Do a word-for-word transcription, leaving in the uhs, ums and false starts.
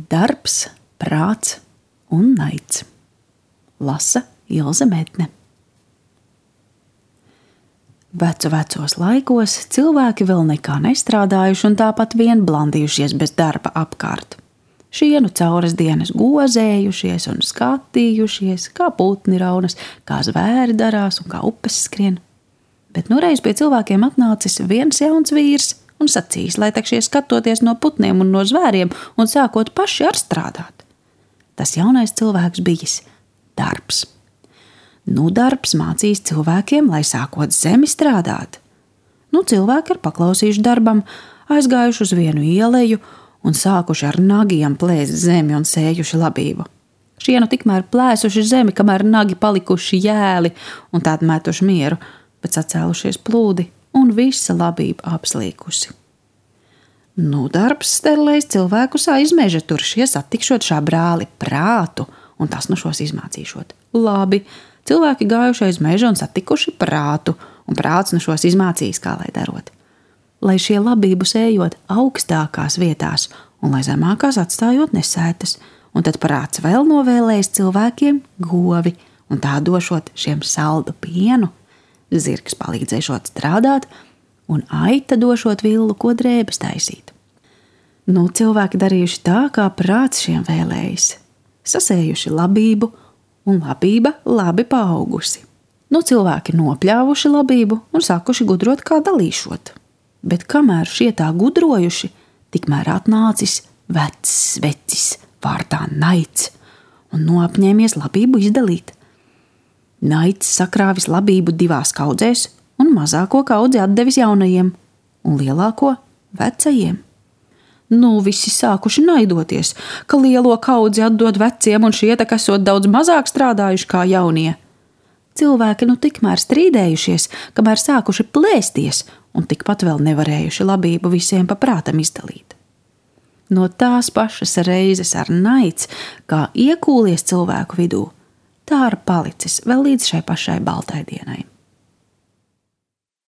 Darbs, prāts un naids. Lasa Ilze Medne. Vecu vecos laikos cilvēki vēl nekā nestrādājuši un tāpat vien blandījušies bez darba apkārt. Šienu cauras dienas gozējušies un skatījušies, kā putni raunas, kā zvēri darās un kā upes skrien. Bet nureiz pie cilvēkiem atnācis viens jauns vīrs un sacījis, lai tak šie skatoties no putniem un no zvēriem un sākot paši ar strādāt. Tas jaunais cilvēks bijis darbs. Nu, darbs mācīs cilvēkiem, lai sākot zemi strādāt. Nu, cilvēki ir paklausījuši darbam, aizgājuši uz vienu ieleju un sākuši ar nagiem plēst zemi un sējuši labību. Šienu tikmēr plēsuši zemi, kamēr nagi palikuši jēli un tādi metuši mieru, bet sacēlušies plūdi un visa labība apslīkusi. Nu, darbs sterlējis cilvēkus aizmeža tur šie satikšot šā brāli prātu un tas nu šos izmācīšot. Labi, cilvēki gājuši aiz meža un satikuši prātu un prāts nu šos izmācījis, kā lai darot. Lai šie labību sējot augstākās vietās un lai zemākās atstājot nesētas, un tad prāts vēl novēlējis cilvēkiem govi un tā došot šiem saldu pienu, zirgs palīdzēšot strādāt un aita došot villu, ko drēbes taisīt. Nu, cilvēki darījuši tā, kā prāts šiem vēlējis, sasējuši labību un labība labi paaugusi. Nu, cilvēki nopļāvuši labību un sākuši gudrot, kā dalīšot. Bet kamēr šie tā gudrojuši, tikmēr atnācis vecs vecis vārdā naids un noapņēmies labību izdalīt. Naids sakrāvis labību divās kaudzēs un mazāko kaudzi atdevis jaunajiem un lielāko vecajiem. Nu, visi sākuši naidoties, ka lielo kaudzi atdod veciem un šie tak esot daudz mazāk strādājuši kā jaunie. Cilvēki nu tikmēr strīdējušies, kamēr sākuši plēsties un tikpat vēl nevarējuši labību visiem pa prātam izdalīt. No tās pašas reizes ar naids, kā iekūlies cilvēku vidū, tā ar palicis vēl līdz šai pašai baltai dienai.